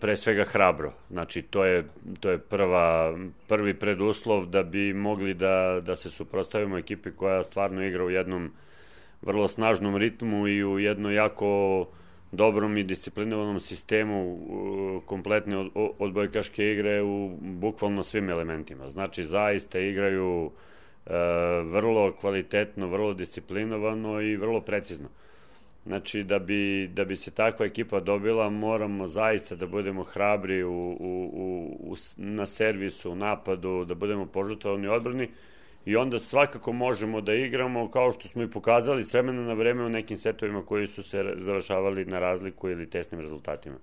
pre svega hrabro. Znači, to je prvi preduslov da bi mogli da se suprotstavimo ekipi koja stvarno igra u jednom vrlo snažnom ritmu i u jednom jako dobrom i disciplinovanom sistemu kompletne odbojkaške igre u bukvalno svim elementima. Znači, zaista igraju vrlo kvalitetno, vrlo disciplinovano i vrlo precizno. Znači, da bi se takva ekipa dobila, moramo zaista da budemo hrabri na servisu, u napadu, da budemo požrtvovani odbrani i onda svakako možemo da igramo kao što smo i pokazali s vremena na vreme u nekim setovima koji su se završavali na razliku ili tesnim rezultatima.